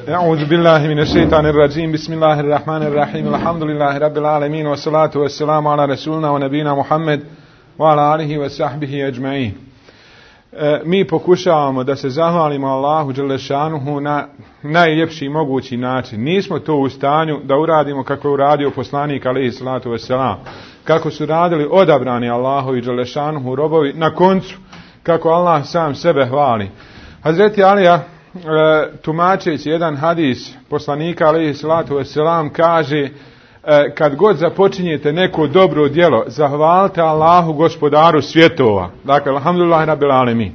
أعوذ بالله من الشيطان الرجيم بسم الله الرحمن الرحيم الحمد لله رب العالمين والصلاة والسلام على رسولنا ونبينا محمد وعلى آله وصحبه أجمعين. Mi pokušavamo da se zahvalimo Allahu dželešanuhu na najljepši mogući način. Nismo to u stanju da uradimo kako je uradio poslanik alejhi salatu vesselam, kako su radili odabrani Allahovi dželešanuhu robovi, na koncu kako Allah sam sebe hvali. Hazreti Alija, tumačeći jedan hadis poslanika alejhi salatu vesselam, kaže: kad god započinjete neko dobro djelo, zahvalite Allahu gospodaru svjetova. Dakle, alhamdulillah rabbil alemin.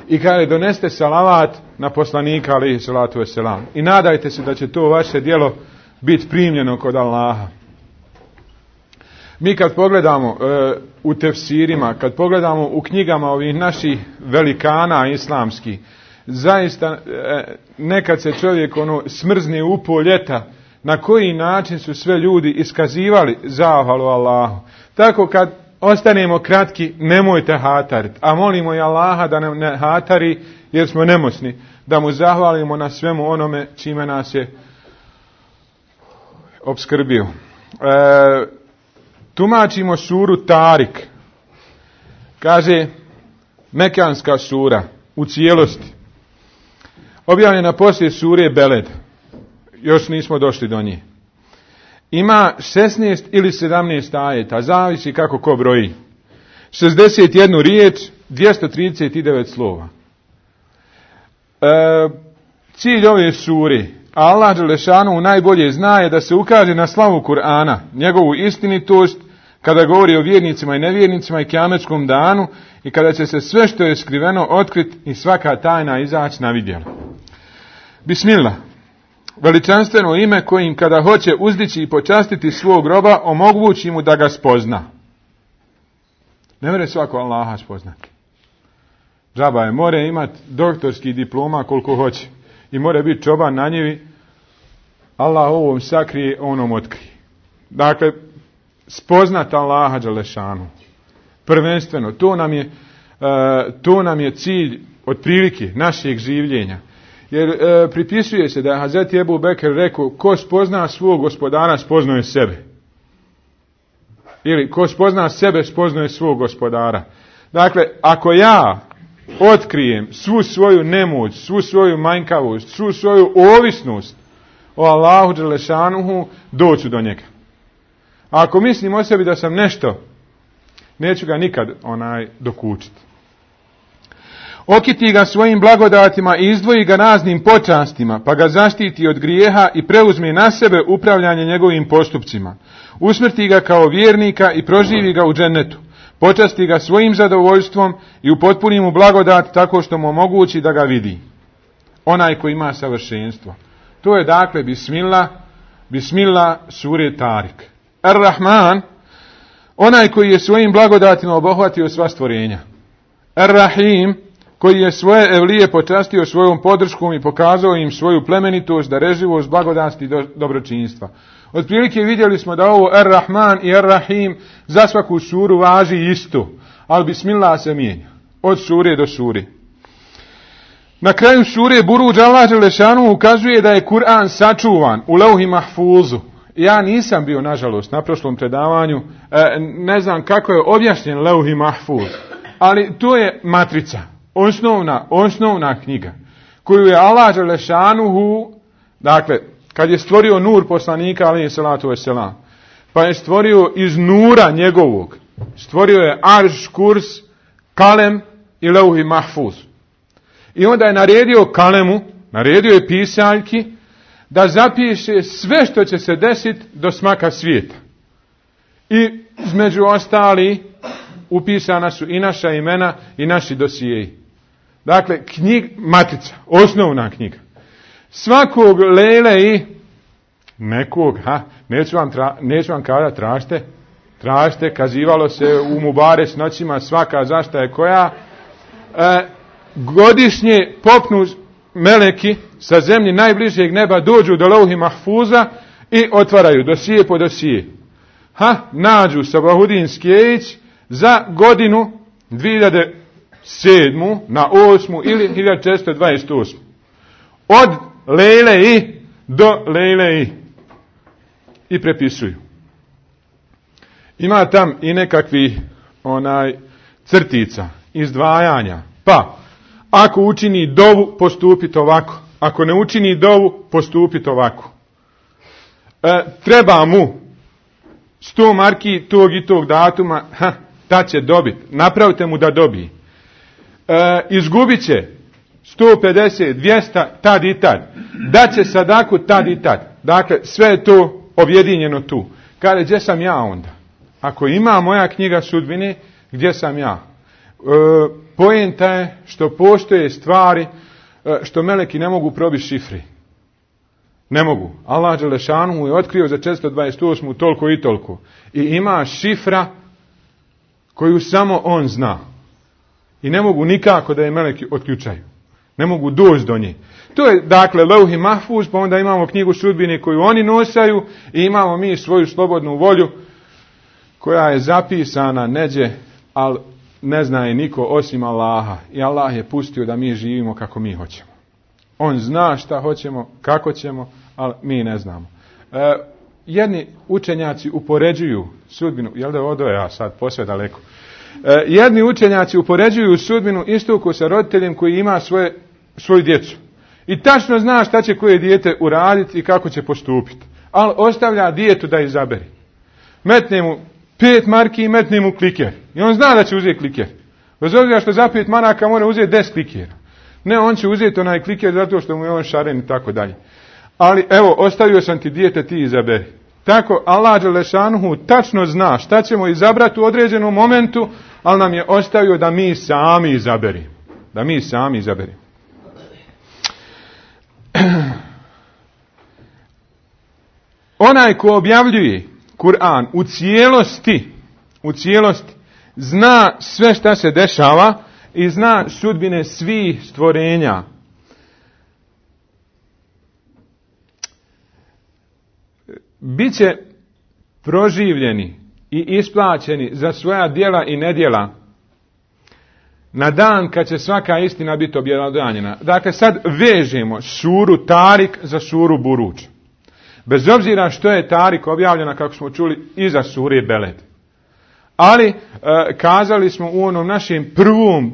I kaže, doneste salavat na poslanika alejhi salatu vesselam. I nadajte se da će to vaše djelo biti primljeno kod Allaha. Mi kad pogledamo u tefsirima, kad pogledamo u knjigama ovih naših velikana islamskih, zaista nekad se čovjek smrzne u pol ljeta na koji način su sve ljudi iskazivali zahvalu Allahu. Tako kad ostanemo kratki, nemojte hatariti, a molimo i Allaha da nam ne hatari jer smo nemoćni, da mu zahvalimo na svemu onome čime nas je opskrbio. Tumačimo suru Tarik. Kaže, mekanska sura u cijelosti, objavljena poslije sure Beled. Još nismo došli do nje. Ima 16 ili 17 ajeta, zavisi kako ko broji. 61 riječ, 239 slova. Cilj ove sure, Allah dželešanu najbolje zna, je da se ukaže na slavu Kur'ana, njegovu istinitost, kada govori o vjernicima i nevjernicima i kijametskom danu, i kada će se sve što je skriveno otkriti i svaka tajna izaći na vidjelo. Bismillah. Veličanstveno ime kojim kada hoće uzdići i počastiti svog roba, omogući mu da ga spozna. Ne može svako Allaha spoznati. Džaba je, more imati doktorski diploma koliko hoće. I more biti čoban na njivi. Allah ovom sakrije, onom otkrije. Dakle, spoznat Allaha dželešanu. Prvenstveno, to nam je cilj otprilike našeg življenja. Jer pripisuje se da je Hazreti Ebu Bekr rekao: ko spozna svog gospodara, spoznaje sebe. Ili ko spozna sebe, spoznaje svog gospodara. Dakle, ako ja otkrijem svu svoju nemoć, svu svoju manjkavost, svu svoju ovisnost o Allahu dželešanuhu, doću do njega. A ako mislim o sebi da sam nešto, neću ga nikad dokučiti. Okiti ga svojim blagodatima i izdvoji ga raznim počastima, pa ga zaštiti od grijeha i preuzme na sebe upravljanje njegovim postupcima. Usmrti ga kao vjernika i proživi ga u džennetu. Počasti ga svojim zadovoljstvom i upotpuni mu blagodat tako što mu omogući da ga vidi. Onaj koji ima savršenstvo. To je dakle Bismillah sure Tarik. Ar-Rahman, onaj koji je svojim blagodatima obuhvatio sva stvorenja. Ar-Rahim, koji je svoje evlije počastio svojom podrškom i pokazao im svoju plemenitost, dareživost, blagodasti i dobročinstva. Otprilike vidjeli smo da ovo Ar-Rahman i Ar-Rahim za svaku suru važi isto, ali Bismillah se mijenja od sure do sure. Na kraju sure Buruđ Allah dželešanu ukazuje da je Kur'an sačuvan u Lauhi Mahfuzu. Ja nisam bio, nažalost, na prošlom predavanju, ne znam kako je objašnjen Lauhi Mahfuz, ali to je matrica. Osnovna knjiga koju je Allah dželešanuhu, dakle, kad je stvorio nur poslanika alejhi salatu vesselam, pa je stvorio iz nura njegovog, stvorio je arš, kurs, kalem i Lauhi Mahfuz. I onda je naredio kalemu, naredio je pisaljki da zapiše sve što će se desiti do smaka svijeta. I između ostali upisana su i naša imena i naši dosijeji. Dakle, matica, osnovna knjiga. Svakog lele i nekog, neću vam kada tražite, kazivalo se u Mubares noćima, svaka zašta je koja, godišnje popnu meleki sa zemlji najbližeg neba, dođu do Lauhi Mahfuza i otvaraju dosije po dosije. Nađu Sabahudin Skjejić za godinu 1427. na 8. ili 1428. Od Lejle i do Lejle i prepisuju. Ima tam i nekakvi crtica, izdvajanja. Pa, ako učini dovu, postupiti ovako. Ako ne učini dovu, postupiti ovako. Treba mu 100 marki tog i tog datuma, ta će dobiti. Napravite mu da dobije. Izgubit će 150, 200, tad i tad. Daće sadaku tad i tad. Dakle, sve je to objedinjeno tu. Kaže, gdje sam ja onda? Ako ima moja knjiga sudbine, gdje sam ja? Poenta je što postoje stvari što meleki ne mogu probiti šifri. Ne mogu. Allah dželešanu je otkrio za 428. toliko i toliko. I ima šifra koju samo on zna. I ne mogu nikako da je meleki otključaju. Ne mogu doći do nje. To je, dakle, Lauhi Mahfuz, pa onda imamo knjigu sudbine koju oni nosaju i imamo mi svoju slobodnu volju koja je zapisana neđe, ali ne zna je niko osim Allaha. I Allah je pustio da mi živimo kako mi hoćemo. On zna šta hoćemo, kako ćemo, ali mi ne znamo. Jedni učenjaci upoređuju sudbinu, jel da odo ja sad posve daleko, jedni učenjaci upoređuju sudbinu isto ko sa roditeljem koji ima svoju djecu. I tačno zna šta će koje dijete uraditi i kako će postupiti. Ali ostavlja dijetu da izaberi. Metne mu 5 marki i metne mu kliker. I on zna da će uzeti kliker. Bez obzira što za 5 maraka mora uzeti 10 klikera. Ne, on će uzeti onaj kliker zato što mu je on šaren i tako dalje. Ali evo, ostavio sam ti dijete, ti izaberi. Tako Allah dželešanuhu tačno zna šta ćemo izabrati u određenom momentu, ali nam je ostavio da mi sami izaberimo. Da mi sami izaberimo. Onaj ko objavljuje Kur'an u cijelosti, zna sve šta se dešava i zna sudbine svih stvorenja. Biće proživljeni i isplaćeni za svoja djela i nedjela na dan kad će svaka istina biti objelodanjena. Dakle, sad vežemo suru Tarik za suru Buruđ. Bez obzira što je Tarik objavljena, kako smo čuli, iza sure Beled. Ali, kazali smo u onom našem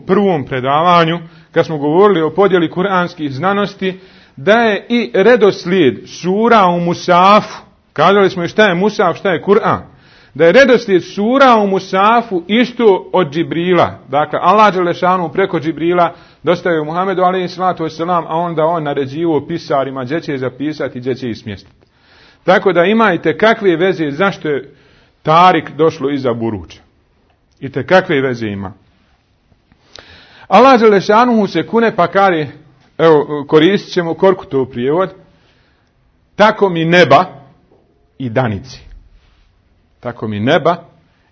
prvom predavanju, kad smo govorili o podjeli kuranskih znanosti, da je i redoslijed sura u Musafu, kazali smo i šta je Musaf, šta je Kur'an, da je redoslijed sura u Musafu isto od Džibrila. Dakle, Allah dželešanu preko Džibrila dostavio Muhammedu alejhiselatu vesselam, a onda on naređivao pisarima gdje će zapisati i gdje će ih smjestiti. Tako da imajte kakve veze zašto je Tarik došlo iza Buruđa. I te kakve veze ima. Allah dželešanu se kune pa kaže, evo koristit ćemo Korkutov prijevod, tako mi neba i danici. Tako mi neba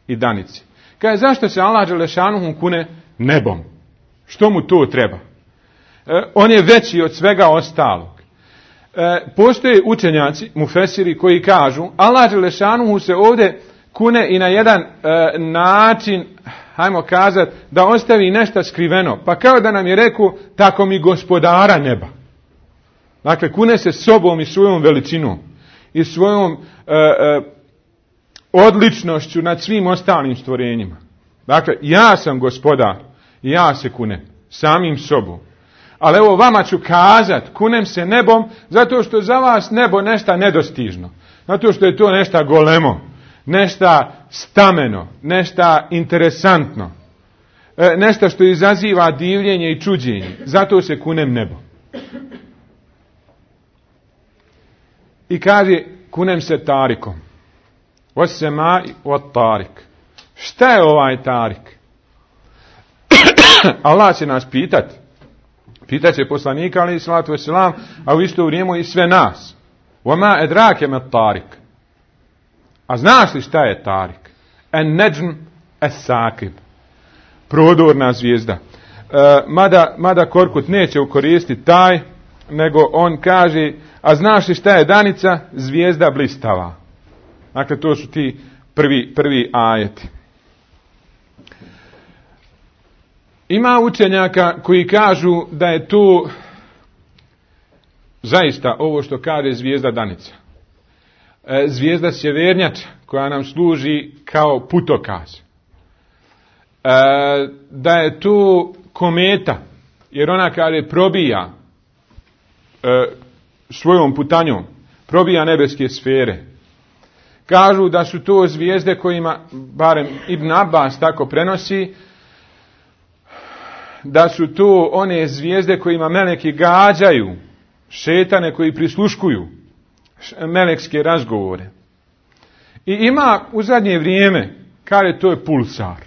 i danici. Kaže, zašto se Allah dželešanu kune nebom? Što mu to treba? On je veći od svega ostalog. Postoje učenjaci, mufesiri, koji kažu, Allah dželešanu se ovdje kune i na jedan način, hajmo kazati, da ostavi nešto skriveno. Pa kao da nam je rekao, tako mi gospodara neba. Dakle, kune se sobom i svojom veličinom i svojom odličnošću nad svim ostalim stvorenjima. Dakle, ja sam gospodar i ja se kunem samim sobom. Ali evo vama ću kazat, kunem se nebom, zato što za vas nebo nešto nedostižno. Zato što je to nešto golemo, nešto stameno, nešto interesantno, nešto što izaziva divljenje i čuđenje. Zato se kunem nebom. I kaže, kunem se Tarikom. Wassemai wat Tarik. Šta je ovaj Tarik? Allah će nas pitati. Pitat će poslanika, alejhiselatu vesselam, a u isto vrijeme i sve nas. Wama edrake met Tarik. A znaš li šta je Tarik? En neđm es sakib. Prodorna zvijezda. Mada Korkut neće ukoristiti taj, nego on kaže, a znaš li šta je danica? Zvijezda blistava. Dakle, to su ti prvi ajeti. Ima učenjaka koji kažu da je to zaista ovo što kaže zvijezda Danica. Zvijezda sjevernjača koja nam služi kao putokaz. Da je to kometa, jer ona kaže probija svojom putanjom, probija nebeske sfere. Kažu da su to zvijezde kojima, barem Ibn Abbas tako prenosi, da su to one zvijezde kojima meleki gađaju šetane koji prisluškuju melekske razgovore. I ima u zadnje vrijeme, kaže to je pulsar.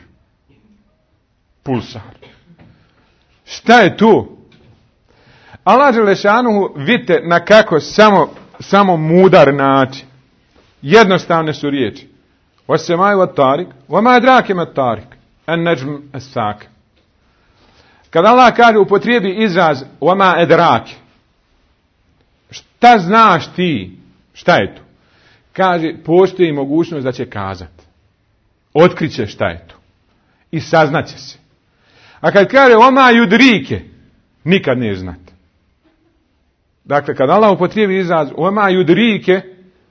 Pulsar. Šta je to? Allah dželešanuhu, vidite na kako samo mudar način. Jednostavne su riječi. وَالسَّمَاءِ وَالطَّارِقِ وَمَا أَدْرَاكَ مَا الطَّارِقُ النَّجْمُ الثَّاقِبُ. Kad Allah kaže upotrijebi izraz وَمَا أَدْرَاكَ, šta znaš ti? Šta je to? Kaže, postoji mogućnost da će kazati. Otkriće šta je to. I saznaće se. A kad kaže وَمَا يُدْرِيكَ, nikad ne znate. Dakle, kad Allah upotrijebi izraz وَمَا يُدْرِيكَ,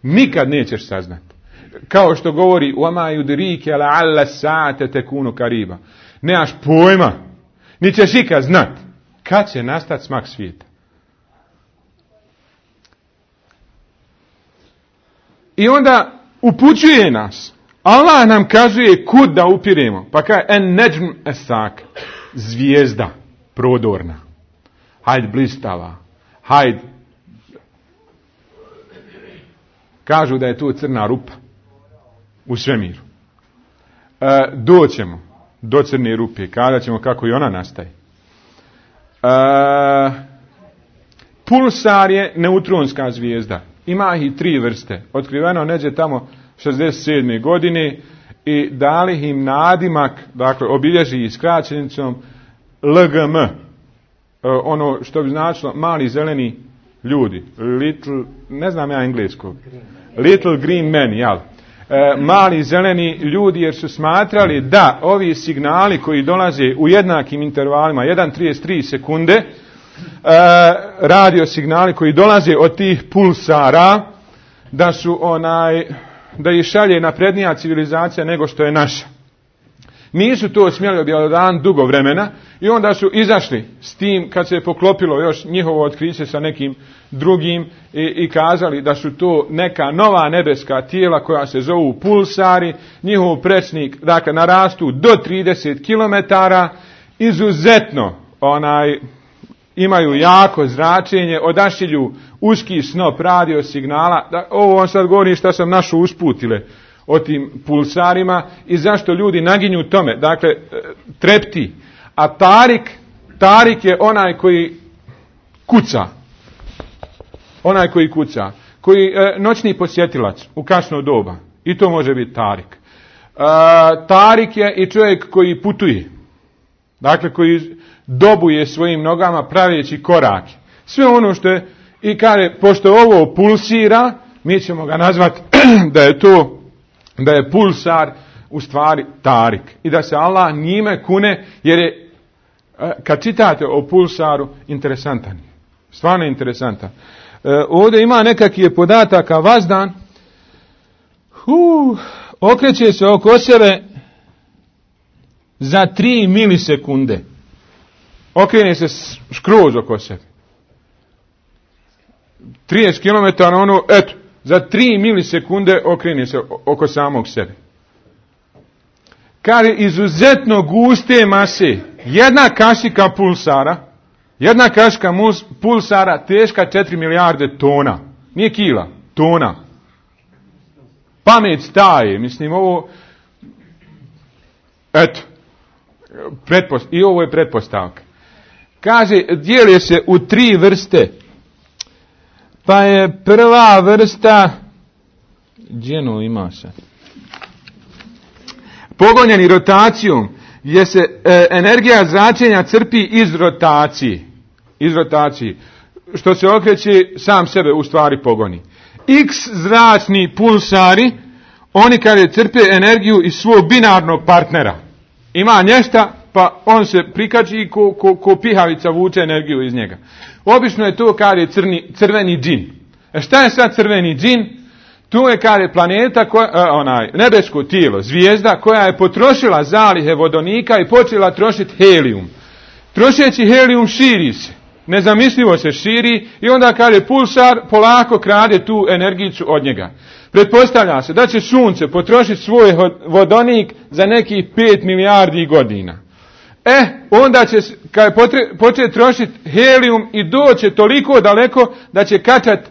nikad nećeš saznati. Kao što govori وَمَا يُدْرِيكَ لَعَلَّ السَّاعَةَ تَكُونُ قَرِيبًا. Nemaš pojma, ni ćeš ikad znati kad će nastati smak svijeta. I onda upućuje nas. Allah nam kazuje kud da upiremo. Pa kaže en neđm esak, zvijezda prodorna. Hajd blistava. Hajd. Kažu da je to crna rupa u svemiru. Doćemo do crne rupe. Kada ćemo kako i ona nastaje. Pulsar je neutronska zvijezda. Ima ih 3 vrste. Otkriveno neđe tamo 67. godine i dali im nadimak, dakle obilježi skraćenicom LGM. Ono što bi značilo mali zeleni ljudi. Little, ne znam ja engleskog. Little green men, jel? Mali zeleni ljudi, jer su smatrali da ovi signali koji dolaze u jednakim intervalima 1,33 sekunde, radio signali koji dolaze od tih pulsara, da su da ih šalje naprednija civilizacija nego što je naša. Nisu to smjeli objavljivati dugo vremena i onda su izašli s tim kad se je poklopilo još njihovo otkriće sa nekim drugim i kazali da su to neka nova nebeska tijela koja se zovu pulsari, njihov prečnik, dakle narastu do 30 km, izuzetno imaju jako zračenje, odašilju uski snop radio signala. Ovo vam sad govorim što sam našao usputile o tim pulsarima i zašto ljudi naginju tome. Dakle, trepti. A tarik je onaj koji kuca. Onaj koji kuca. Koji noćni posjetilac u kasno doba. I to može biti tarik. Tarik je i čovjek koji putuje. Dakle, koji dobuje svojim nogama praveći korake. Sve ono što je, i kaže, pošto ovo pulsira, mi ćemo ga nazvati da je pulsar u stvari tarik. I da se Allah njime kune, jer je, kad čitate o pulsaru, interesantan. Stvarno interesantan. Ovdje ima nekakvih podataka vazdan. Okreće se oko sebe za 3 milisekunde. Okrene se skroz oko sebe. 30 km, za 3 milisekunde okrene se oko samog sebe. Kaže, izuzetno guste mase. Jedna kašika pulsara teška 4 milijarde tona. Nije kila, tona. Pamet staje, mislim ovo, i ovo je pretpostavka. Kaže, dijeli se u 3 vrste. Pa je prva vrsta, gdjeno ima se, pogonjeni rotacijom, gdje se energija zračenja crpi iz rotacije. Što se okreće, sam sebe u stvari pogoni. X zračni pulsari, oni kada crpe energiju iz svog binarnog partnera. Ima nešto pa on se prikači i ko pihavica vuče energiju iz njega. Obično je to, kaže, crveni džin. Šta je sad crveni džin? Tu je, kaže, planeta, nebesko tijelo, zvijezda koja je potrošila zalihe vodonika i počela trošiti helijum. Trošeći helijum širi se. Nezamislivo se širi i onda, kaže, pulsar polako krade tu energiju od njega. Pretpostavlja se da će sunce potrošiti svoj vodonik za nekih 5 milijardi godina. Onda će početi trošiti helijum i doće toliko daleko da će kačati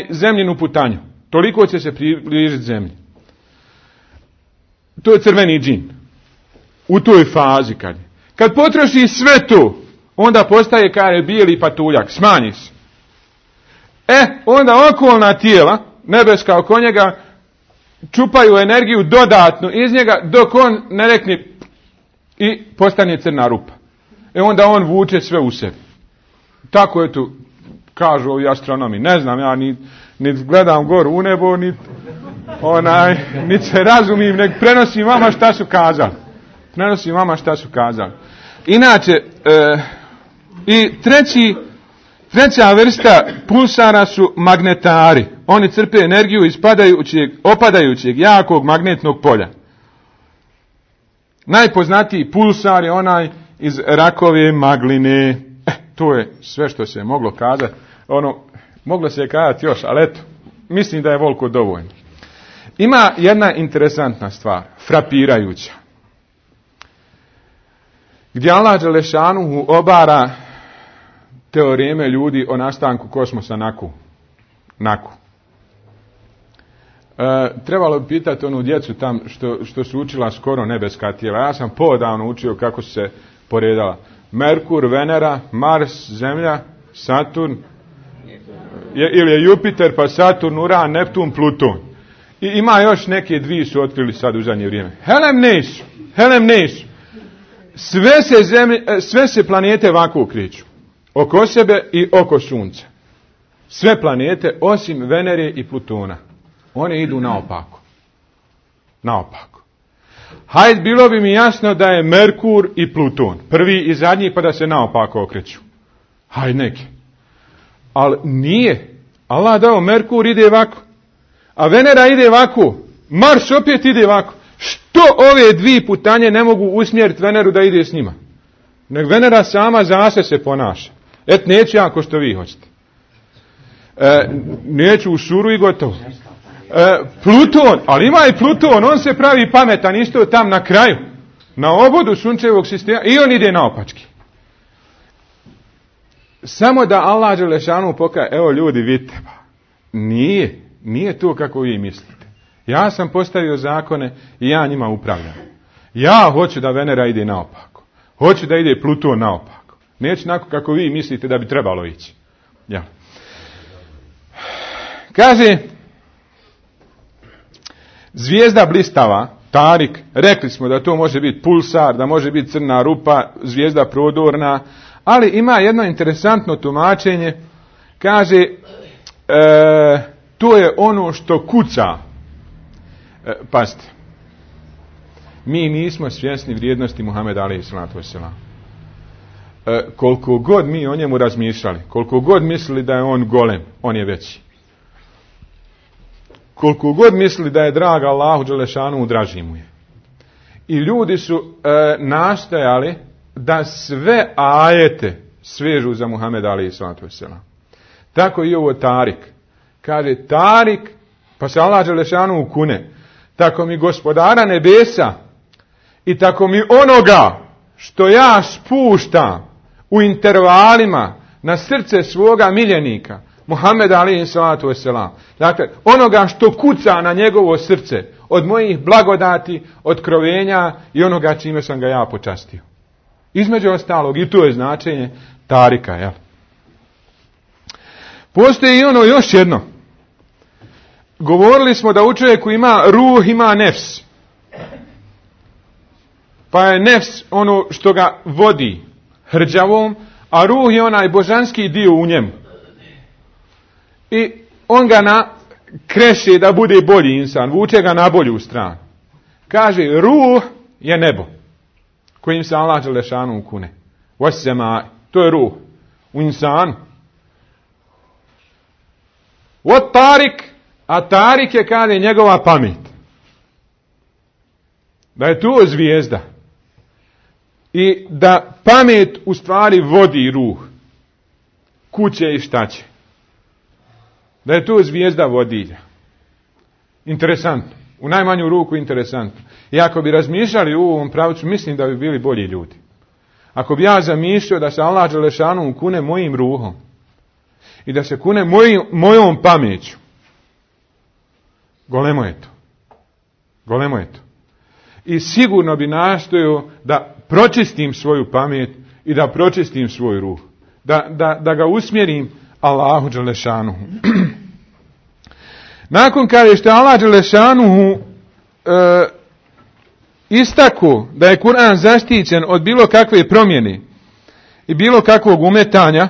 zemljinu putanju. Toliko će se približiti zemlji. To je crveni džin. U toj fazi kad potroši sve to, onda postaje, kaže, bijeli patuljak, smanji se. Onda okolna tijela, nebeska oko njega, čupaju energiju dodatno iz njega, dok on ne rekne i postane crna rupa. Onda on vuče sve u sebi. Tako je tu, kažu ovi astronomi. Ne znam, ja ni gledam goru u nebo, ni se razumim, nek prenosim vama šta su kazali. Inače, i treća vrsta pulsara su magnetari. Oni crpe energiju iz opadajućeg jakog magnetnog polja. Najpoznatiji pulsar je onaj iz rakove magline. To je sve što se je moglo kazati. Moglo se je kazati još, ali eto, mislim da je voliko dovoljno. Ima jedna interesantna stvar, frapirajuća. Gdje Allah Đelešanuhu obara teoreme ljudi o nastanku kosmosa naku. Trebalo bi pitati onu djecu tam što su učila skoro nebeska tijela. Ja sam podavno učio kako su se poredala. Merkur, Venera, Mars, Zemlja, Saturn, ili je Jupiter, pa Saturn, Uran, Neptun, Pluton. I ima još neke dvije su otkrili sad u zadnje vrijeme. Helem nesu. Sve se planete ovako kreću. Oko sebe i oko Sunca. Sve planete osim Venere i Plutona. One idu naopako. Hajde, bilo bi mi jasno da je Merkur i Pluton prvi i zadnji, pa da se naopako okreću. Hajde neki. Ali nije. Allah dao, Merkur ide ovako. A Venera ide ovako. Mars opet ide ovako. Što ove dvije putanje ne mogu usmjeriti Veneru da ide s njima? Nek Venera sama zase se ponaša. Neću ja ko što vi hoćete. Neću u šuru i gotovo. Pluton, ali ima i Pluton, on se pravi pametan isto tam na kraju. Na obodu sunčevog sistema i on ide naopački. Samo da Allah Đelešanu pokaže, evo ljudi, vidite, nije to kako vi mislite. Ja sam postavio zakone i ja njima upravljam. Ja hoću da Venera ide naopako. Hoću da ide Pluton naopako. Neću onako kako vi mislite da bi trebalo ići. Ja. Kaže, zvijezda blistava, Tarik, rekli smo da to može biti pulsar, da može biti crna rupa, zvijezda prodorna, ali ima jedno interesantno tumačenje. Kaže, to je ono što kuca. Pazite, mi nismo svjesni vrijednosti Muhameda alejhi selatu vesselam. Koliko god mi o njemu razmišljali, koliko god mislili da je on golem, on je veći. Koliko god mislili da je drag Allahu Đelešanu, draži mu je. I ljudi su nastojali da sve ajete svežu za Muhameda alejhi selatu vesselam. Tako i ovo Tarik. Kaže Tarik, pa se Allah Đelešanu kune. Tako mi gospodara nebesa i tako mi onoga što ja spuštam u intervalima na srce svoga miljenika, Muhameda alejhi salatu vesselam. Dakle, onoga što kuca na njegovo srce od mojih blagodati, otkrovenja i onoga čime sam ga ja počastio. Između ostalog, i to je značenje Tarika, jel? Postoji i ono još jedno. Govorili smo da u čovjeku ima ruh, ima nefs. Pa je nefs ono što ga vodi hrđavom, a ruh je onaj božanski dio u njemu. I on ga kreše da bude bolji insan, vuče ga na bolju stranu. Kaže, ruh je nebo. kojim se Allah dželešanu kune. Wasema, to je ruh. U insanu. Wat tarik, a tarik je kaže njegova pamet. Da je to zvijezda. I da pamet u stvari vodi ruh. Kuće i šta će. Da je to zvijezda vodilja. Interesantno. U najmanju ruku interesantno. I ako bi razmišljali u ovom pravcu, mislim da bi bili bolji ljudi. Ako bi ja zamišljao da se Allah dželešanu kune mojim ruhom i da se kune mojom pameću, golemo je to. Golemo je to. I sigurno bi nastojao da pročistim svoju pamet i da pročistim svoj ruh. Da ga usmjerim Allahu dželešanu. Nakon kada što je Allah dželešanu istako da je Kur'an zaštićen od bilo kakve promjene i bilo kakvog umetanja,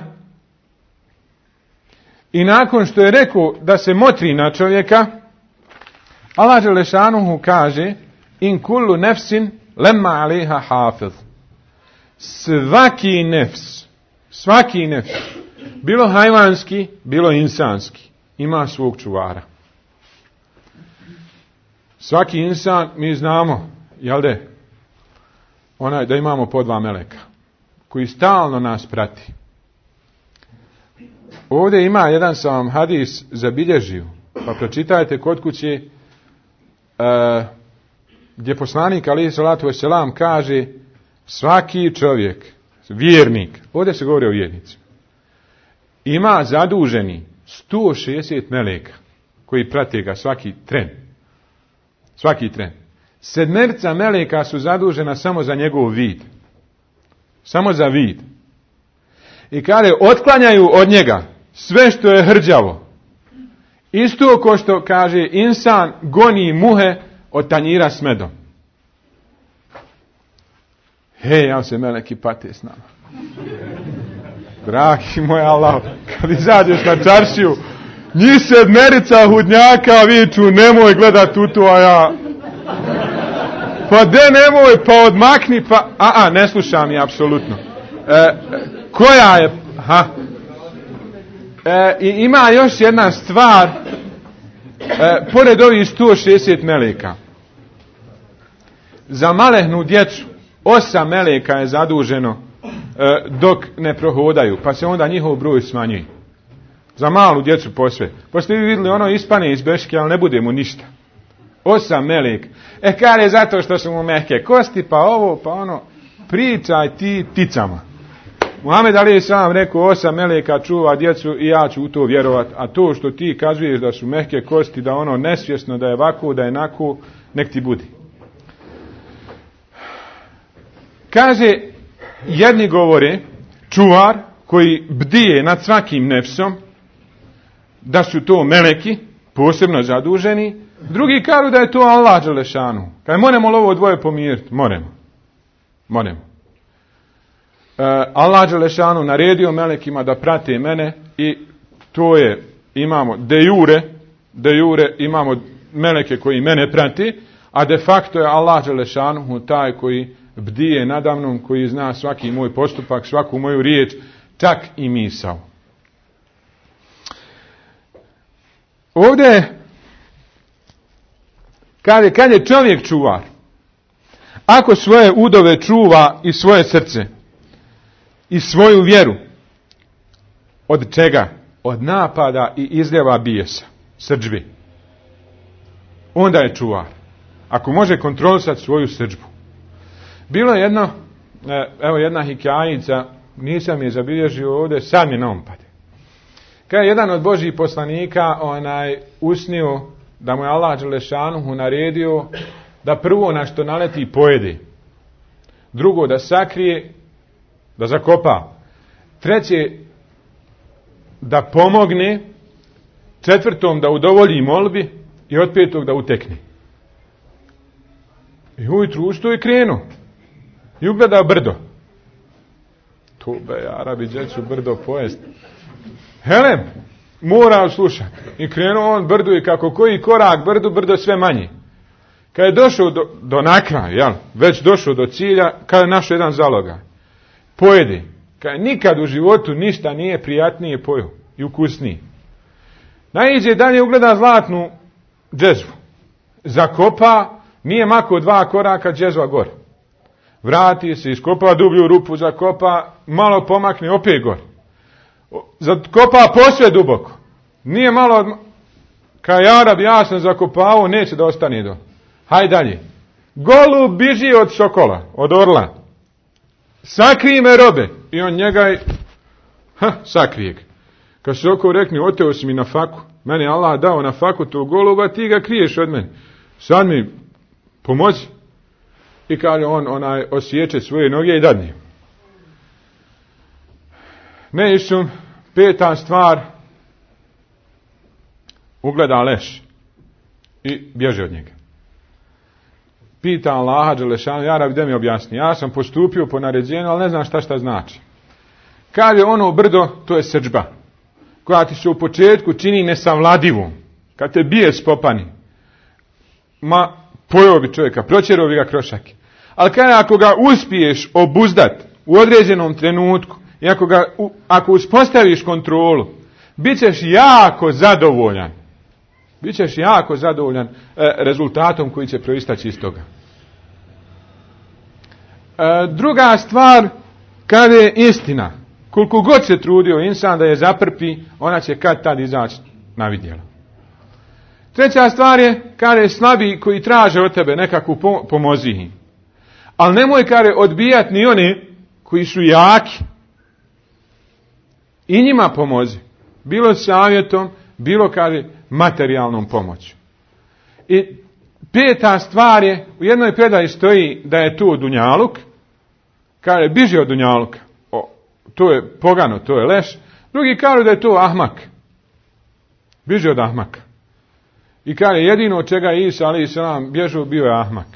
i nakon što je rekao da se motri na čovjeka, Allah dželešanu kaže in kullu nefsin lemma alejha hafiz. Svaki nefs, bilo hajvanski, bilo insanski, ima svog čuvara. Svaki insan, mi znamo, jel de, onaj da imamo po 2 meleka, koji stalno nas prati. Ovdje ima jedan sam vam hadis zabilježio, pa pročitajte kod kuće, gdje poslanik alejhi salatu vesselam kaže svaki čovjek, vjernik, ovdje se govori o vjernicima, ima zaduženi 160 meleka koji prate ga svaki tren. Svaki tren. 7 meleka su zadužena samo za njegov vid. Samo za vid. I kada otklanjaju od njega sve što je hrđavo, isto ko što kaže insan goni muhe od tanjira s medom. Hej, ja se meleki pate s nama. Dragi moj Allah, kad izađeš na čaršiju, njih 7 hudnjaka viču, nemoj gledat u to, a ja... Pa de nemoj, pa odmakni, pa... ne slušam je, apsolutno. Koja je... I ima još jedna stvar, pored ovih 160 meleka. Za malehnu djecu, 8 meleka je zaduženo dok ne prohodaju, pa se onda njihov broj smanjuje. Za malu djecu posve. Pa ste vi vidjeli ono ispane iz beške, ali ne bude mu ništa. 8 meleka. Kar je zato što su mu mehke kosti, pa ovo, pa ono. Pričaj ti ticama. Muhammed alejhi selam rekao 8 meleka čuva djecu i ja ću u to vjerovat. A to što ti kazuješ da su mehke kosti, da ono nesvjesno, da je ovako, da je nako, nek ti budi. Kaže, jedni govore, čuvar koji bdije nad svakim nefsom, da su to meleki, posebno zaduženi, drugi kažu da je to Allah dželešanu. Kaj moramo li ovo dvoje pomiriti? Moramo. Allah dželešanu naredio melekima da prate mene i to je, imamo de jure imamo meleke koji mene prati, a de facto je Allah dželešanu taj koji bdije nadamnom, koji zna svaki moj postupak, svaku moju riječ, čak i misao. Ovdje kad je čovjek čuvar, ako svoje udove čuva i svoje srce i svoju vjeru, od čega? Od napada i izljeva bijesa, srdžbi. Onda je čuvar. Ako može kontrolisati svoju srdžbu. Bilo je jedna hikajica, nisam je zabilježio ovdje, sad mi na um pade. Kad je jedan od Božjih poslanika usnio da mu je Allah dželešanuhu naredio da prvo na što naleti pojede, drugo da sakrije, da zakopa, treće da pomogne, četvrtom da udovolji molbi i od petog da utekne. I ujutru ustao i krenuo i ugledao brdo. Tube, Arabi, djecu brdo pojest. Helem, mora slušati. I krenuo on brdu i kako koji korak brdu, brdo sve manje. Kad je došao do nakraja, već došao do cilja, kad je našao jedan zalogaj, pojede. Kad nikad u životu ništa nije prijatnije pojeo i ukusnije. Naiđe dalje, ugleda zlatnu džezvu. Zakopa, nije mako 2 koraka, džezva gore. Vrati se, iskopa dublju rupu, zakopa, malo pomakne, opet gore. Zakopa posve duboko. Nije malo, kao Arab, ja sam zakopavao, neće da ostane do. Hajde dalje. Golub biži od sokola, od orla. Sakrij me, robe. I on njega sakrije ga. Kad sokol rekne, oteo si mi na faku. Meni Allah dao na faku tog goluba, ti ga kriješ od mene. Sad mi pomozi. I kaže onaj osjeće svoje noge i dadne. Ne išum, 5. stvar, ugleda leš i bježe od njega. Pita Allaha dželešanu, ja Rabbi, da mi objasni. Ja sam postupio po naređenju, ali ne znam šta znači. Kaže ono brdo, to je srdžba, koja ti se u početku čini nesavladivom. Kad te bije spopani, pojeo bi čovjeka, proćerao bi ga krošake. Ali kaže, ako ga uspiješ obuzdat u određenom trenutku i ako uspostaviš kontrolu, bit ćeš jako zadovoljan. Bićeš jako zadovoljan rezultatom koji će proistaći iz toga. Druga stvar, kada je istina, koliko god se trudio insan da je zaprpi, ona će kad tad izaći na vidjelo. Treća stvar je, kada je slabi koji traže od tebe nekakvu pomozi im. Ali nemoj kada odbijati ni oni koji su jaki. I njima pomozi. Bilo savjetom, bilo kada materijalnom pomoću. I 5. stvar je, u jednoj predaji stoji da je tu dunjaluk, kaže biži od dunjaluka, to je pogano, to je leš. Drugi kažu da je to ahmak, biži od ahmaka. I kaže jedino od čega je Isa alejhi selam bježao bio je ahmak.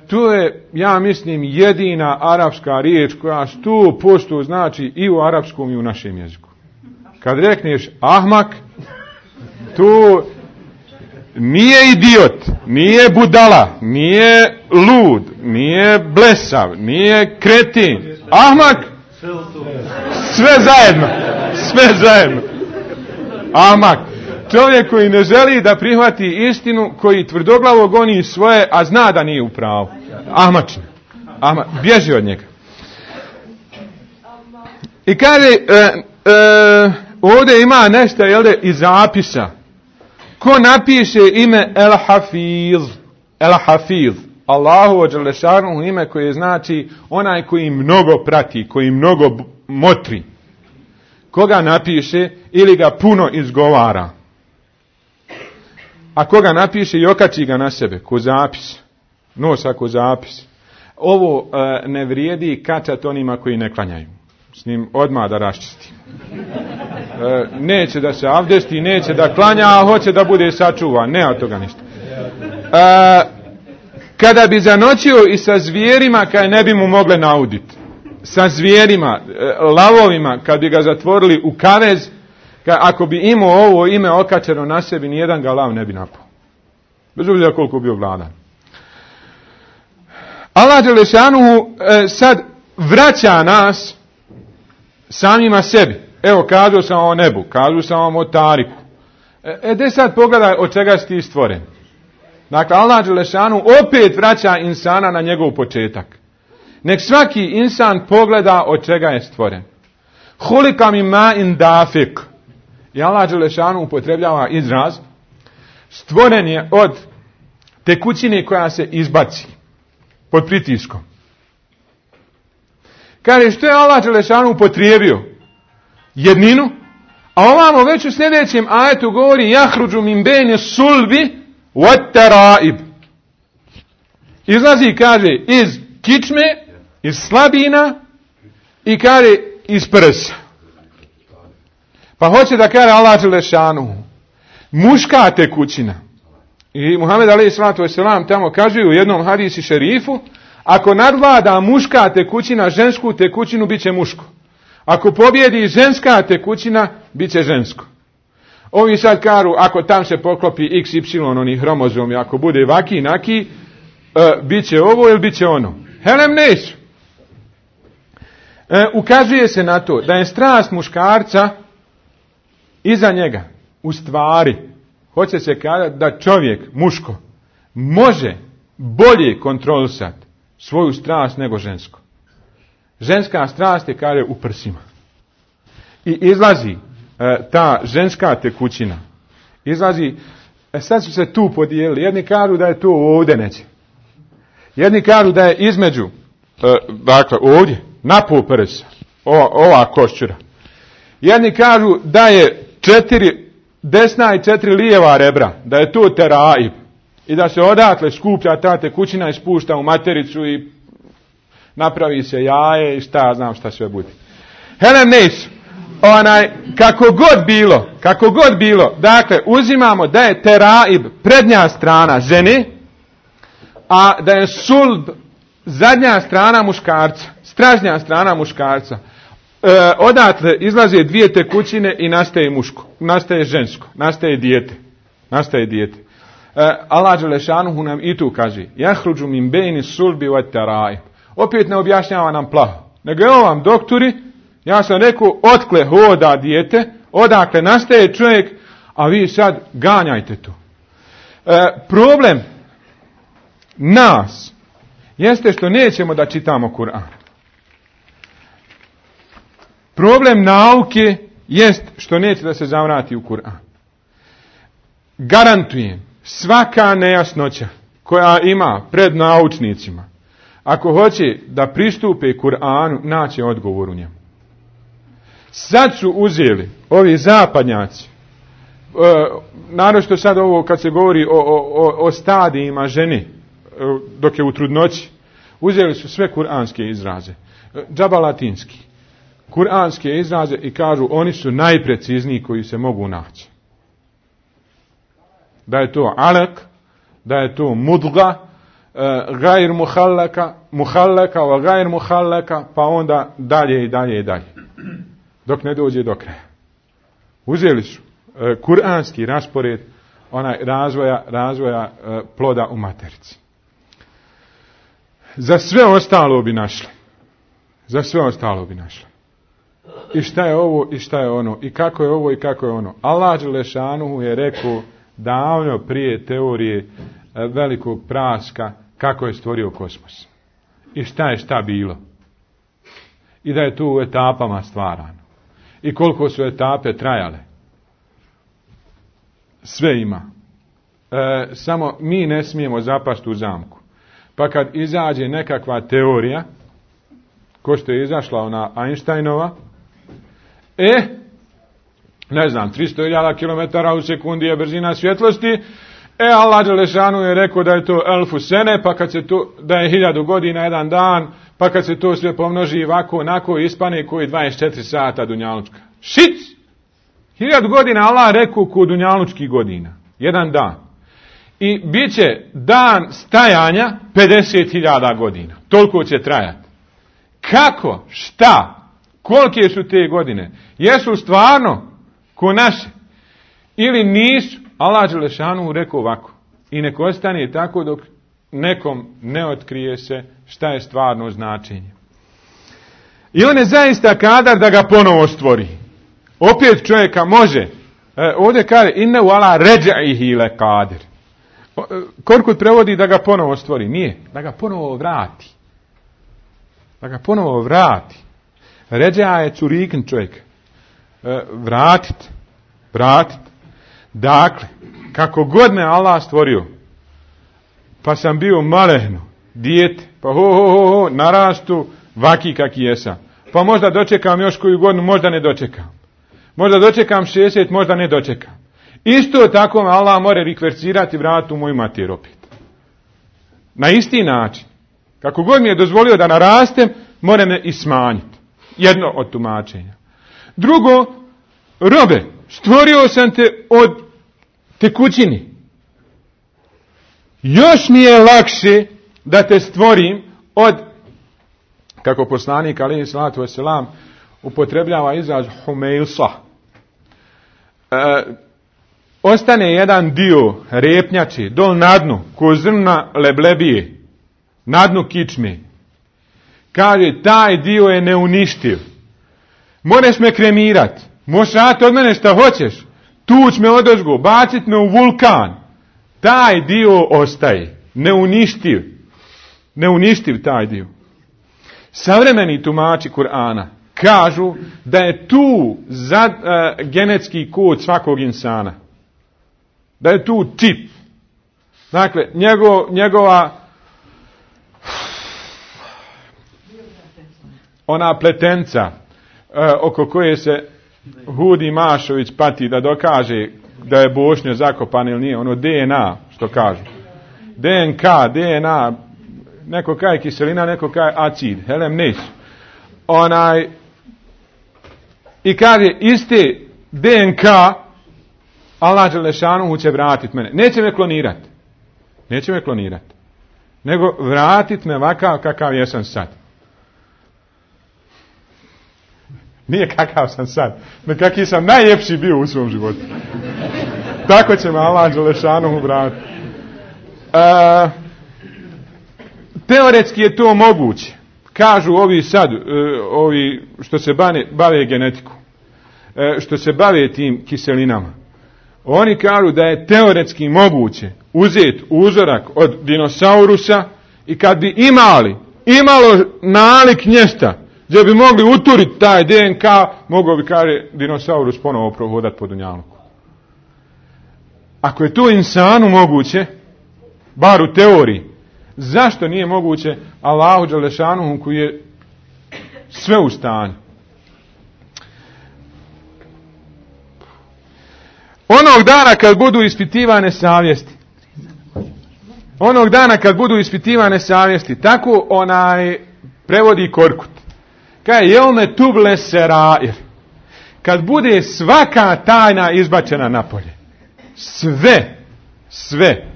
To je, ja mislim, jedina arapska riječ koja 100% znači i u arapskom i u našem jeziku. Kad rekneš ahmak, to nije idiot, nije budala, nije lud, nije blesav, nije kretin. Ahmak, sve zajedno. Ahmak, čovjek koji ne želi da prihvati istinu, koji tvrdoglavo goni svoje, a zna da nije u pravu. Ahmačin. Bježi od njega. I kaže, ovdje ima nešto, iz zapisa. Ko napiše ime El-Hafiz, Allahu dželešanu ime koje znači onaj koji mnogo prati, koji mnogo motri. Koga napiše ili ga puno izgovara. A koga napiše i okači ga na sebe, ko zapis. Nosa ko zapis. Ovo ne vrijedi kačat onima koji ne klanjaju. S njim odmah da raščisti. Neće da se avdesti, neće da klanja, a hoće da bude sačuvan. Ne od toga ništa. Kada bi zanoćio i sa zvijerima, kaj ne bi mu mogle nauditi. Sa zvijerima, lavovima, kad bi ga zatvorili u kavez, ako bi imao ovo ime okačeno na sebi, nijedan ga lav ne bi napao. Bez obzira koliko bio gladan. Allah dželešanuhu sad vraća nas samima sebi. Evo, kazao sam o nebu, kazao sam vam o tariku. De sad pogledaj od čega si ti stvoren. Dakle, Allah dželešanu opet vraća insana na njegov početak. Nek svaki insan pogleda od čega je stvoren. Hulika min ma'in dafik. I Allah dželešanu upotrebljava izraz. Stvoren je od tekućine koja se izbaci pod pritiskom. Kaže, što je Allah dželešanu upotrijebio? Jedninu. A ovamo već u sljedećem ajetu govori jahruđu min bejne sulbi wat taraib. Izlazi, kaže, iz kičme, iz slabina i kaže iz prsa. Pa hoće da kaže Allah dželešanu muška tekućina. I Muhammed alejhi selatu vesselam tamo kaže u jednom hadisi šerifu, ako nadvlada muška tekućina žensku tekućinu, bit će muško. Ako pobjedi ženska tekućina, bit će žensko. Ovi sad kažu, ako tam se poklopi XY onih hromozomi, ako bude vaki, naki, bit će ovo ili bit će ono. Helem neću. Ukazuje se na to da je strast muškarca iza njega. U stvari, hoće se kazati da čovjek, muško, može bolje kontrolisati svoju strast nego žensko. Ženska strast je, kaže, u prsima. I izlazi ta ženska tekućina. Izlazi, sad su se tu podijelili. Jedni kažu da je to ovdje neće. Jedni kažu da je između, dakle ovdje, napol prsa, ova koščura. Jedni kažu da je 4 desna i 4 lijeva rebra, da je to teraib. I da se odatle skuplja ta tekućina i spušta u matericu i napravi se jaje i šta znam šta sve bude. Helem neću. Kako god bilo, dakle, uzimamo da je teraib prednja strana žene, a da je sulb zadnja strana muškarca, stražnja strana muškarca. Odatle izlaze 2 tekućine i nastaje muško, nastaje žensko, nastaje dijete. Allah dželešanuhu nam i tu kaže: "Jahruđu min bejni sulbi wa teraib." Opet ne objašnjava nam plaho, nego evo vam doktori, ja sam rekao, otkle hoda dijete, odakle nastaje čovjek, a vi sad ganjajte to. Problem nas jeste što nećemo da čitamo Kur'an. Problem nauke jest što neće da se zavrati u Kur'an. Garantujem, svaka nejasnoća koja ima pred naučnicima, ako hoće da pristupe Kur'anu, naće odgovor u njemu. Sad su uzeli ovi zapadnjaci, naročito sad ovo kad se govori o stadijima žene dok je u trudnoći, uzeli su sve kuranske izraze, džaba latinski, kuranske izraze i kažu oni su najprecizniji koji se mogu naći. Da je to alak, da je to mudga, gajr muhallaka, wa gajr muhallaka, pa onda dalje i dalje i dalje. Dok ne dođe do kraja. Uzeli su kuranski raspored onaj razvoja ploda u materici. Za sve ostalo bi našli. I šta je ovo i šta je ono. I kako je ovo i kako je ono. Allah dželešanuhu je rekao davno prije teorije velikog praska kako je stvorio kosmos. I šta je šta bilo. I da je tu u etapama stvarano. I koliko su etape trajale. Sve ima. Samo mi ne smijemo zapasti u zamku. Pa kad izađe nekakva teorija, ko što je izašla ona Einsteinova, ne znam, 300.000 km u sekundi je brzina svjetlosti, Allah dželešanu je rekao da je to elfu sene, pa kad se to, da je 1000 godina jedan dan, pa kad se to sve pomnoži ovako, onako, ispane koji 24 sata dunjalučka. Šic! 1000 godina Allah rekao ko dunjalučkih godina. Jedan dan. I bit će dan stajanja 50.000 godina. Toliko će trajati. Kako? Šta? Kolike su te godine? Jesu stvarno ko naše? Ili nisu? Allah dželešanu rekao ovako. I nek ostane tako dok nekom ne otkrije se šta je stvarno značenje. I on je zaista kadar da ga ponovo stvori. Opet čovjeka može. Ovdje kaže inne u ala ređaihi le kadir. Korkut prevodi da ga ponovo stvori. Nije. Da ga ponovo vrati. Ređa je curikin čovjek. Vratit. Dakle, kako god me Allah stvorio, pa sam bio malehno, dijete, pa narastu, vaki kaki jesam. Pa možda dočekam još koju godinu, možda ne dočekam. Možda dočekam 60, možda ne dočekam. Isto tako me Allah more rikvercirati i vratiti u moju mater opet. Na isti način. Kako god mi je dozvolio da narastem, more me i smanjiti. Jedno od tumačenja. Drugo, robe, stvorio sam te od tekućini. Još mi je lakše da te stvorim od, kako poslanik alejhi salatu vesselam upotrebljava izraz humeilsa. ostane jedan dio repnjače dol na dnu, ko zrna leblebije, na dnu kičme. Kaže, taj dio je neuništiv. Možeš me kremirat, možeš raditi od mene šta hoćeš, tuć me odozgo, bacit me u vulkan. Taj dio ostaje, neuništiv. Neuništiv taj dio. Savremeni tumači Kur'ana kažu da je tu genetski kod svakog insana. Da je tu čip. Dakle, njegova ona pletenca oko koje se Hudi Mašović pati da dokaže da je Bošnjo zakopan ili nije, ono DNA, što kažu. DNK, DNA, neko kaj kiselina, neko kaj acid, helem neću. I kaže, iste DNK, Allah Đelešanuhu će vratit mene. Neće me klonirati. Neće me klonirati. Nego vratit me ovakav kakav jesam sad. Nije kakav sam sad. No kakav sam najljepši bio u svom životu. Tako će me Allah Đelešanuhu vratiti. Teoretski je to moguće. Kažu ovi sad, ovi što se bave genetiku, što se bave tim kiselinama. Oni kažu da je teoretski moguće uzeti uzorak od dinosaurusa i kad bi imalo nalik nješta gdje bi mogli uturiti taj DNK, mogao bi, kaže, dinosaurus ponovo prohodati po dunjaluku. Ako je to insanu moguće, bar u teoriji, zašto nije moguće Allahu Đelešanuhu koji je sve u stanju? Onog dana kad budu ispitivane savjesti, tako prevodi Korkut. Kaj jelme tuble serair. Kad bude svaka tajna izbačena napolje. Sve.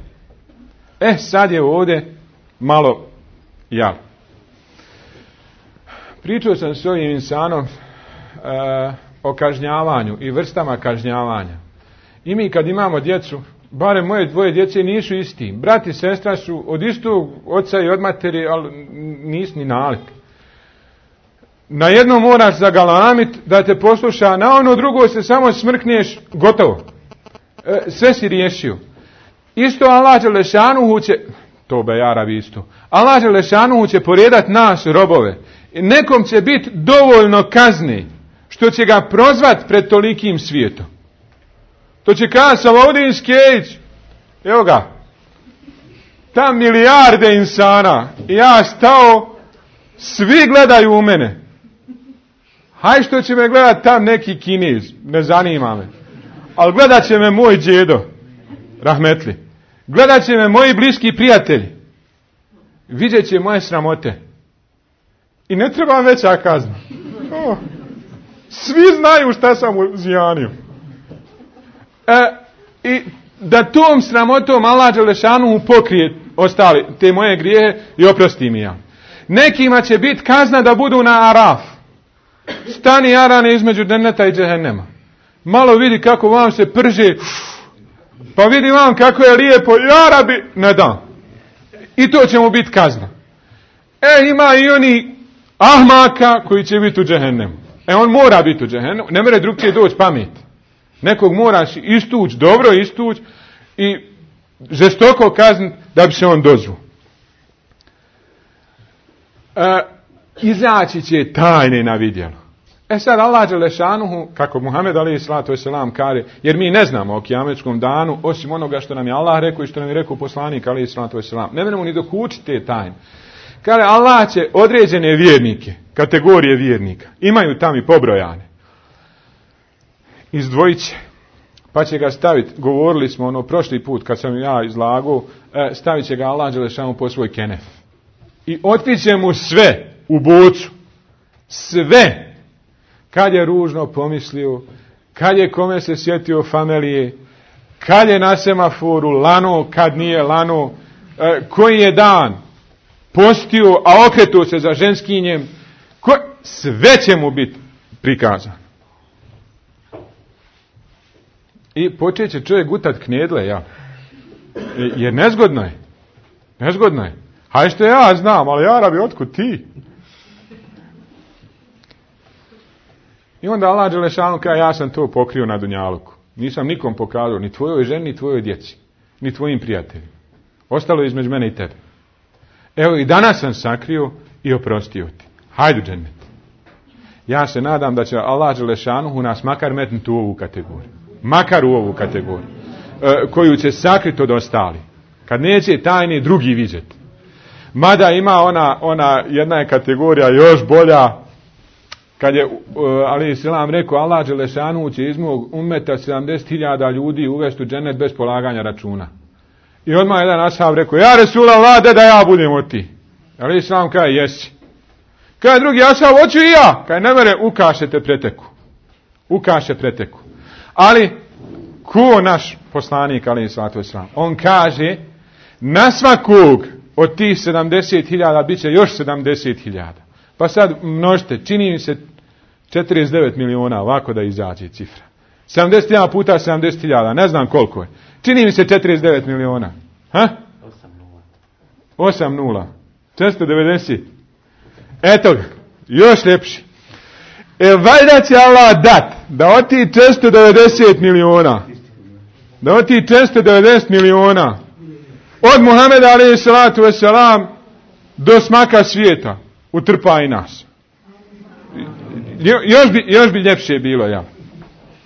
Sad je ovdje malo ja. Pričao sam s ovim insanom o kažnjavanju i vrstama kažnjavanja. I mi kad imamo djecu, barem moje dvoje djece nisu isti. Brat i sestra su od istog oca i od materi, ali nisu ni nalik. Na jedno moraš zagalamit da te posluša, na ono drugo se samo smrkneš, gotovo. Sve si riješio. Isto Allah Đelešanuhu će, to bejarabi isto, Allah Đelešanuhu će poredat nas robove. Nekom će biti dovoljno kazne što će ga prozvat pred tolikim svijetom. To će kazati Salaudin Skejć, evo ga, tam milijarde insana, ja stao, svi gledaju u mene. Haj što će me gledat tam neki Kinez, ne zanima me. Ali gledat će me moj djedo, rahmetli. Gledat će me moji bliski prijatelji. Vidjet će moje sramote. I ne treba veća kazna. Svi znaju šta sam uzjanio. I da tom sramotom Allah Đelešanuhu pokrije ostali te moje grijehe i oprosti mi ja. Nekima će biti kazna da budu na Araf. Stani Arane između Dženeta i Džehennema. Malo vidi kako vam se prže. Pa vidi vam kako je lijepo. Ja Rabi, ne dam. I to će mu biti kazna. Ima i oni ahmaka koji će biti u Džehennemu. On mora biti u Džehennemu. Ne mere drugčije doći pamet. Nekog moraš istući, dobro istući i žestoko kazniti da bi se on dozvu. Izaći će tajne na vidjelo. Sad Allah Đelešanuhu, kako Muhammed a.s. kaže, jer mi ne znamo o kijametskom danu, osim onoga što nam je Allah rekao i što nam je rekao poslanik a.s. Ne možemo ni dokučiti te tajne. Kaže, Allah će određene vjernike, kategorije vjernika, imaju tam i pobrojane, izdvojit će, pa će ga staviti, govorili smo prošli put kad sam ja izlagao, stavit će ga Allah Đelešanuhu po svoj kenef. I otkriće mu sve u bocu. Sve. Kad je ružno pomislio, kad je kome se sjetio familije, kad je na semaforu lano, kad nije lano, koji je dan postio, a okretuo se za ženskinjem, sve će mu biti prikazano. I počet će čovjek gutat knedle, ja. Jer nezgodno je. Nezgodno je. Haj što ja znam, ali ja rabi, otkud ti? I onda Allah dželešanu kaže, ja sam to pokrio na dunjaluku. Nisam nikom pokazao, ni tvojoj ženi, ni tvojoj djeci, ni tvojim prijateljima. Ostalo je između mene i tebe. Evo i danas sam sakrio i oprostio ti. Hajde u džennet. Ja se nadam da će Allah dželešanu nas makar metnuti u ovu kategoriju. Makar u ovu kategoriju. Koju će sakriti od ostali. Kad neće tajni drugi vidjeti. Mada ima ona jedna je kategorija još bolja. Kad je alejhi selam rekao Allah dželešanu će iz mog ummeta 70.000 ljudi uvesti u džennet bez polaganja računa. I odmah jedan ashab rekao, ja Resulallah, da ja budem od ti. Alejhi selam kaže, jesi. Kaže drugi ashab, hoću i ja. Kaže, ne mere, ukašete preteku. Ukaše preteku. Ali, ko naš poslanik, alejhi salatu vesselam, on kaže, na svakog od tih 70.000 bit će još 70.000. Pa sad množite, čini mi se 49 miliona, ovako da izađe cifra. 71 puta 70.000, ne znam koliko je. Čini mi se 49 miliona. Ha? 8 nula. 490. Eto ga, još ljepši. Valjda će Allah dat da od tih 490 miliona, da od tih 490 miliona, od Muhameda alejhi salatu vesselam do smaka svijeta, utrpa i nas. Još bi ljepše bilo, ja.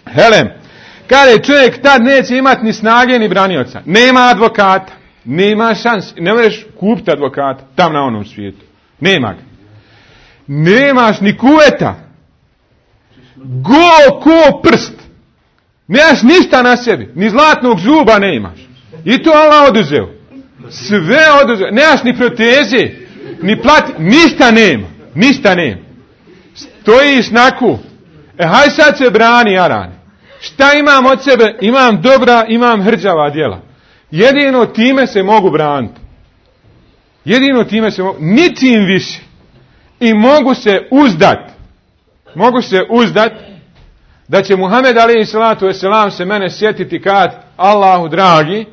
Helem, kada čovjek tad neće imati ni snage ni branioca, nema advokata, nema šans, ne možeš kupiti advokata tam na onom svijetu. Nema ga. Nemaš ni kuveta. Go ko prst. Nemaš ništa na sebi, ni zlatnog zuba ne imaš. I to Allah oduzeo. Sve oduzeo. Nemaš ni proteze, ni plati, ništa nema. Ništa nema. Stojiš naku. Haj sad se brani, Arane. Šta imam od sebe? Imam dobra, imam hrđava djela. Jedino time se mogu braniti. Jedino time se mogu, ničim više. I mogu se uzdat da će Muhammed alejhi salatu vesselam se mene sjetiti kad Allahu dragi,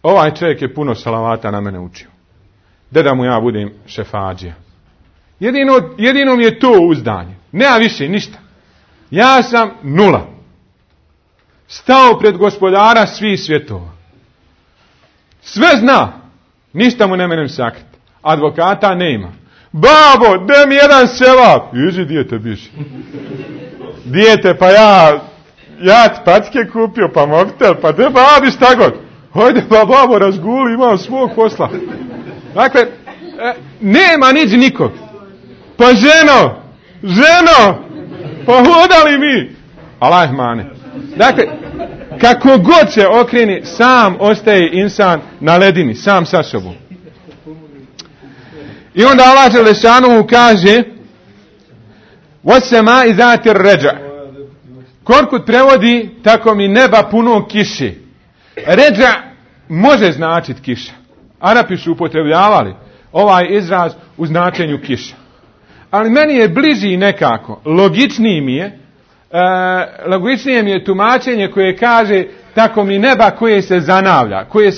ovaj čovjek je puno salavata na mene učio. Da mu ja budem šefadžija. Jedino mi je to uzdanje. Nema više ništa. Ja sam nula. Stao pred gospodara svih svjetova. Sve zna. Ništa mu ne menem sakriti. Advokata nema. Babo, daj mi jedan sevap. Iži, dijete biši. Dijete, pa ja ti packe kupio, pa mobitel, pa de babi šta god. Hojde, pa babo, razguli, imam svog posla. Dakle, nema niđi nikog. Pa ženo, pa hodali mi. Allah mane. Dakle, kako god se okreni, sam ostaje insan na ledini, sam sa sobom. I onda Allah dželešanu kaže وَسَّمَاءِ ذَاتِ الرَّجَعِ. Korkut prevodi tako mi neba puno kiše. Ređa može značiti kiša. Arapi su upotrebljavali ovaj izraz u značenju kiša. Ali meni je bliži nekako, logičnije mi je tumačenje koje kaže tako mi neba koje se zanavlja, koje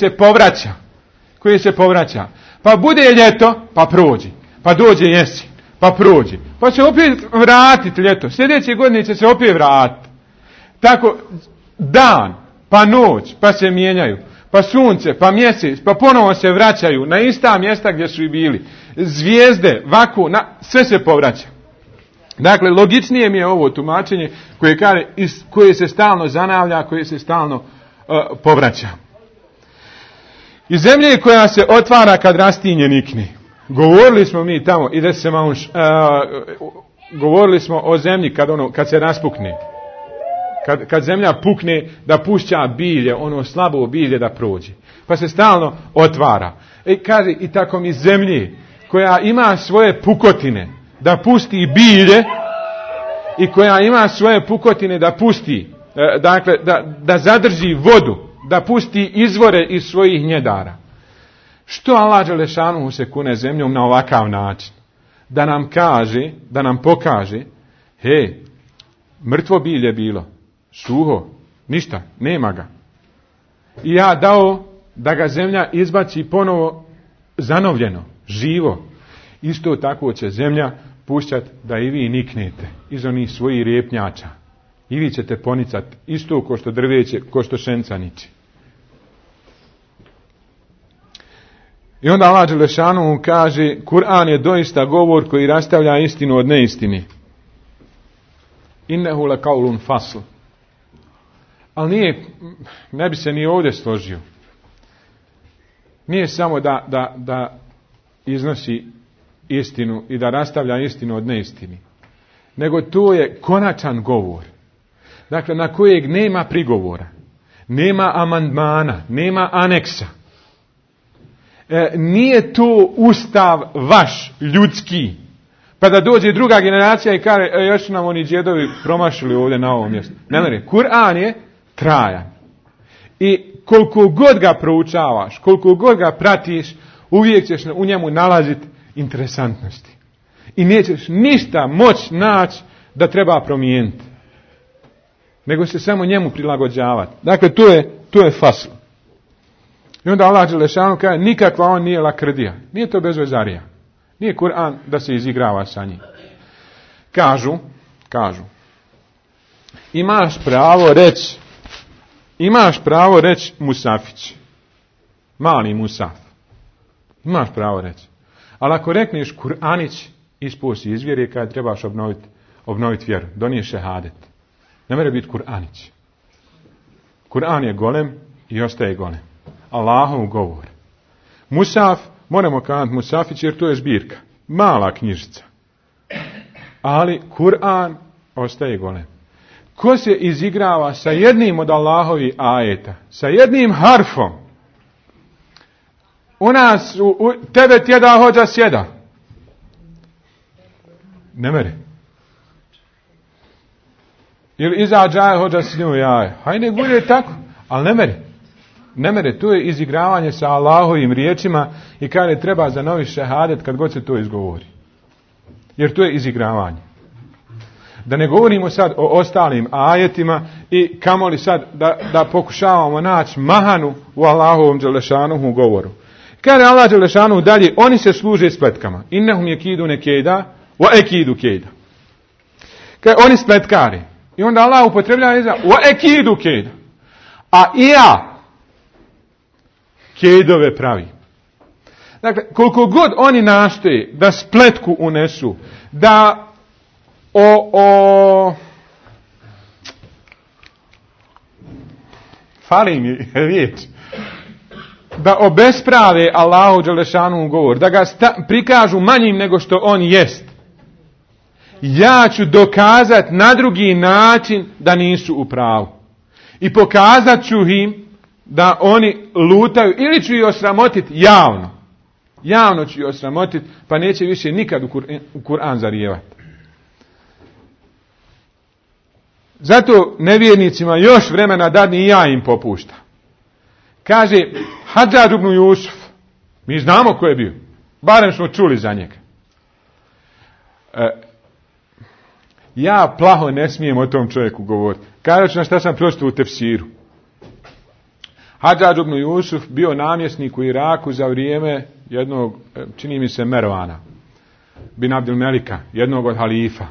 se povraća. Pa bude ljeto, pa prođi. Pa dođe jesen, pa prođi. Pa će opet vratiti ljeto. Sljedeće godine će se opet vratiti. Tako dan, pa noć, pa se mijenjaju. Pa sunce, pa mjesec, pa ponovo se vraćaju na ista mjesta gdje su i bili. Zvijezde, vaku, sve se povraća. Dakle, logičnije mi je ovo tumačenje koje se stalno zanavlja, koje se stalno povraća. I zemlje koja se otvara kad rastinje nikne. Govorili smo mi tamo, govorili smo o zemlji kad se raspukne. Kad zemlja pukne, da pušća bilje, ono slabo bilje da prođe. Pa se stalno otvara. Kaže, i tako mi zemlji koja ima svoje pukotine da pusti bilje i koja ima svoje pukotine da pusti, dakle, da zadrži vodu, da pusti izvore iz svojih njedara. Što Allah dželešanu se kune zemljom na ovakav način? Da nam pokaže, mrtvo bilje bilo, suho, Ništa, nema ga. I ja dao da ga zemlja izbaci ponovo zanovljeno, živo. Isto tako će zemlja pušćati da i vi niknete iz onih svojih repnjača. I vi ćete ponicati isto ko što drveće, ko što šenca niči. I onda Allah dželešanu kaže, Kur'an je doista govor koji rastavlja istinu od neistine. Innehu lekaulun fasl. Ali ne bi se ni ovdje složio. Nije samo da iznosi istinu i da rastavlja istinu od neistini. Nego to je konačan govor. Dakle, na kojeg nema prigovora. Nema amandmana, nema aneksa. Nije to ustav vaš, ljudski. Pa da dođe druga generacija i kaže, još su nam oni djedovi promašili ovdje na ovom mjestu. Ne, Kur'an je trajan. I koliko god ga proučavaš, koliko god ga pratiš, uvijek ćeš u njemu nalaziti interesantnosti. I nećeš ništa moći naći da treba promijeniti. Nego se samo njemu prilagođavati. Dakle, to je fasl. I onda Allah dželešanu kaže, nikakva on nije lakrdija. Nije to bezvezarija. Nije Kur'an da se izigrava sa njim. Kažu, imaš pravo reći Musafić. Mali Musaf. Imaš pravo reći. Ali ako rekneš Kur'anić, ispusti iz vjere kada trebaš obnoviti vjeru. Doniješ šehadet. Ne mere biti Kur'anić. Kur'an je golem i ostaje golem. Allahov govor. Musaf, moramo kazati Musafić jer to je zbirka. Mala knjižica. Ali Kur'an ostaje golem. Ko se izigrava sa jednim od Allahovi ajeta, sa jednim harfom, u nas, tebe tjeda hođa sjeda. Ne mere. Ili izađaje hođa s njom jaje. Hajde bude tako, ali ne mere. Ne mere, to je izigravanje sa Allahovim riječima i kaže treba za novi šehadet kad god se to izgovori. Jer to je izigravanje. Da ne govorimo sad o ostalim ajetima i kamoli sad da pokušavamo naći mahanu u Allahovom dželešanuhu govoru. Kaže Allah dželešanuhu dalje, oni se služe spletkama. Innahum yakidune kejda wa ekidu kejda. Kaže oni spletkari. I onda Allah upotrebljava izraz wa ekidu kejda. A i ja kejdove pravi. Dakle, koliko god oni nastoje da spletku unesu, da fali mi riječ, da obesprave Allahu dželešanu govor, da ga prikažu manjim nego što on jest. Ja ću dokazati na drugi način da nisu u pravu. I pokazat ću im da oni lutaju ili ću ih osramotiti javno. Javno ću ih osramotiti, pa neće više nikad u Kur'an zarijevati. Zato nevjernicima još vremena dadni i ja im popušta. Kaže Hadžadž ibn Jusuf, mi znamo ko je bio, barem smo čuli za njega. Ja plaho ne smijem o tom čovjeku govoriti. Kažu na šta sam pročitao u tefsiru. Hadžadž ibn Jusuf bio namjesnik u Iraku za vrijeme jednog, čini mi se, Mervana bin Abdul Melika, jednog od halifa.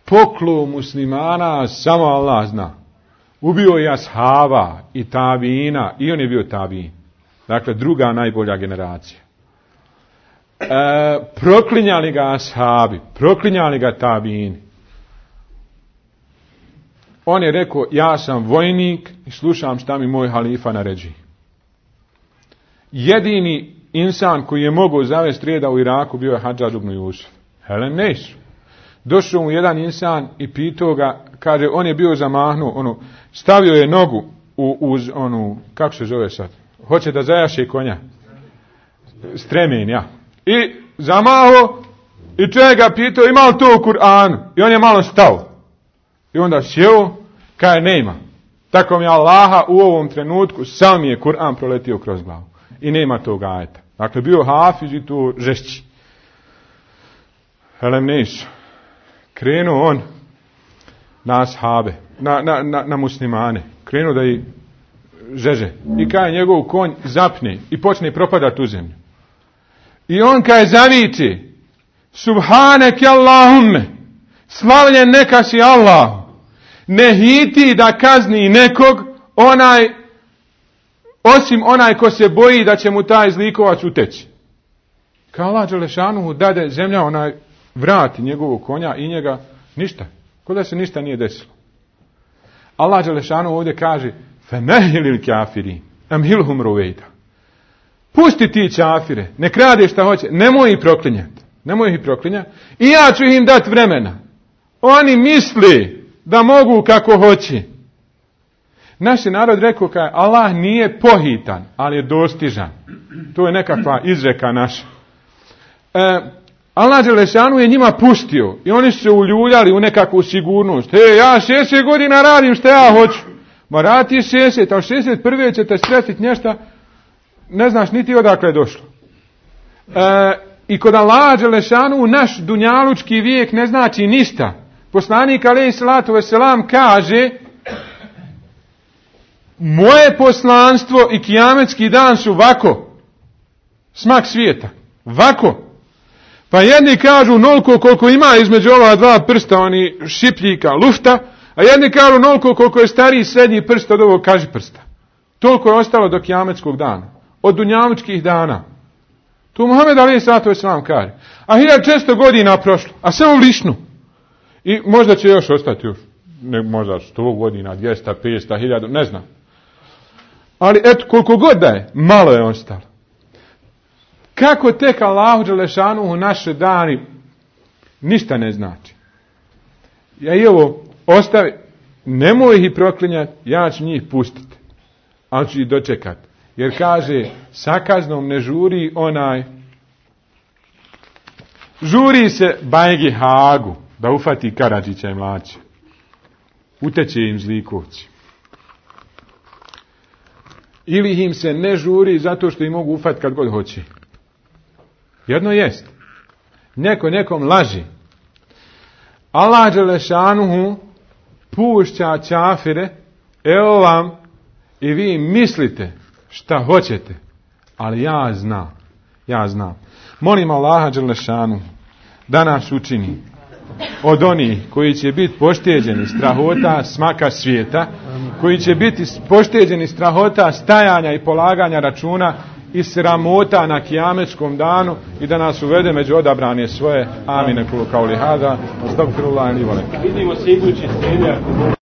Poklo muslimana, samo Allah zna. Ubio je ashaba i tabina, i on je bio tabin. Dakle, druga najbolja generacija. Proklinjali ga ashabi, proklinjali ga tabini. On je rekao, ja sam vojnik i slušam šta mi moj halifa naređi. Jedini insan koji je mogao zavesti reda u Iraku bio je Hadžadž ibn Jusuf. Helen Nejsu. Došao mu jedan insan i pitao ga, kaže, on je bio zamahnuo, stavio je nogu uz onu, kako se zove sad, hoće da zajaše konja. Stremen, ja. I zamaho i čovjek ga pitao, ima li to u Kur'anu? I on je malo stao. I onda sjeo, kaže, nema. Tako mi Allaha u ovom trenutku, sam je Kur'an proletio kroz glavu. I nema tog ajeta. Dakle, bio hafiz i to žešći. Helem Nejsu. Krenuo on na ashabe, na muslimane. krenu da ih žeže. I kada njegov konj zapne i počne propadati u zemlju. I on kada zaviče, Subhaneke Allahumme, slavljen neka si Allah, ne hiti da kazni nekog osim onaj ko se boji da će mu taj zlikovac uteći. Kao Allah dželešanuhu dade zemlja vrati njegovog konja i njega ništa. Ko da se ništa nije desilo. Allah dželešanuhu ovdje kaže femehilil kafirin amhilhum ruvejda. Pusti ti čafire, nek rade šta hoće, nemoj ih proklinjati. Nemoj ih proklinjati. I ja ću im dati vremena. Oni misli da mogu kako hoće. Naš je narod rekao kaj Allah nije pohitan, ali je dostižan. To je nekakva izreka naša. Allah dželešanu je njima pustio i oni su se uljuljali u nekakvu sigurnost. Ja 60 godina radim što ja hoću. Ma radi 60, ali 61. ćete sretiti nešto, ne znaš niti odakle je došlo. I kod Allah dželešanu naš dunjalučki vijek ne znači ništa. Poslanik alejhi salatu vesselam kaže moje poslanstvo i kijametski dan su vako. Smak svijeta. Vako. Pa jedni kažu onoliko koliko ima između ova dva prsta, oni šipljika, lufta, a jedni kažu onoliko koliko je stariji srednji prst od ovog kažiprsta. Toliko je ostalo do kijametskog dana. Od dunjalučkih dana. Tu Muhammed alejhi salatu vesselam kaže. A 1600 godina prošlo, a samo lišnu. I možda će još ostati još. Možda 100 godina, 200, 500, 1000, ne znam. Ali eto, koliko god da je, malo je ostalo. Kako tek Allahu dželešanuhu naše dani ništa ne znači. Ja i ovo ostavi, nemoj ih proklinjati, ja ću njih pustiti. Ali ću ih dočekati. Jer kaže, sa kaznom ne žuri žuri se Bajgi Hagu, da ufati Karadžića i Mlaća. Uteće im zlikovci. Ili im se ne žuri zato što ih mogu ufati kad god hoće. Jedno jest. Neko nekom laži. Allah dželešanuhu pušća čafire, evo vam, i vi mislite šta hoćete, ali ja znam. Molim Allaha dželešanuhu da nas učini od onih koji će biti pošteđeni strahota smaka svijeta, koji će biti pošteđeni strahota stajanja i polaganja računa i sramota na kijametskom danu i da nas uvede među odabrane svoje. Amine kulu kauli hada. Astagfirullah li vole. Vidimo se idući srednja.